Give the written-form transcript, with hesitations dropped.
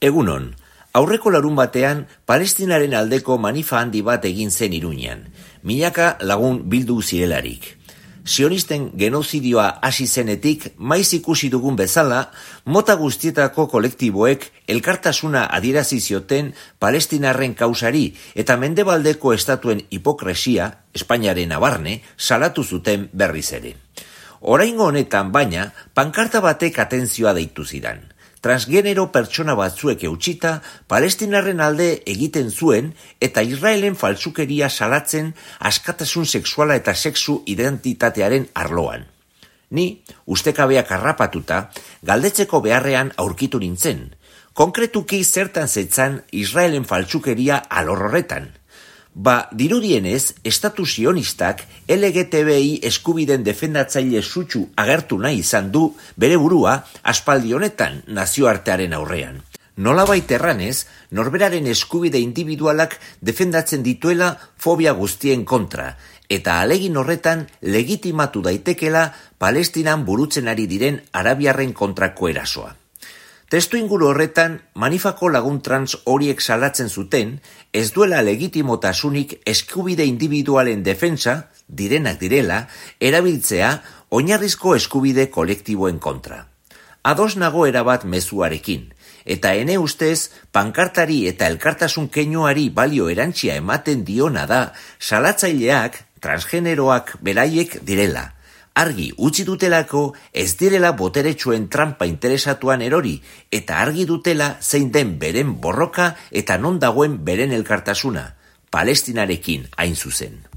Egunon, aurreko larunbatean Palestinaren aldeko manifa handi bat egin zen Iruñan, milaka lagun bildu zirelarik. Sionisten genozidioa hasi zenetik, maiz ikusi dugun bezala, mota guztietako kolektiboek elkartasuna adierazi zioten Palestinarren kausari eta mendebaldeko estatuen hipokresia, Espainiaren abarne, salatu zuten berriz ere. Oraingo honetan baina, pankarta batek atentzioa deitu zidan. Transgenero pertsona batzuek eutsita, Palestinarren alde egiten zuen eta Israelen faltsukeria salatzen askatasun sexuala eta sexu identitatearen arloan. Ni, ustekabeak harrapatuta, galdetzeko beharrean aurkitu nintzen. Konkretuki zertan zetzan Israelen faltsukeria alor horretan. Dirudienez, estatu sionistak LGTBI eskubiden defendatzaile sutsu agertu nahi izan du bere burua aspaldi honetan nazioartearen aurrean. Nolabait erranez, norberaren eskubide individualak defendatzen dituela fobia guztien kontra, eta alegin horretan legitimatu daitekela Palestinan burutzen ari diren arabiarren kontrako erasoa. Testu inguru horretan, manifako lagun trans horiek salatzen zuten, ez duela legitimotasunik eskubide individualen defensa, direnak direla, erabiltzea oinarrizko eskubide kolektiboen kontra. Ados nago erabat mezuarekin, eta ene ustez, pankartari eta elkartasun keinuari balio erantsia ematen diona da, salatzaileak, transgeneroak beraiek direla. Argi utzi dutelako ez direla boteretsuen trampa interesatuan erori eta argi dutela zein den beren borroka eta non dagoen beren elkartasuna, Palestinarekin hain zuzen.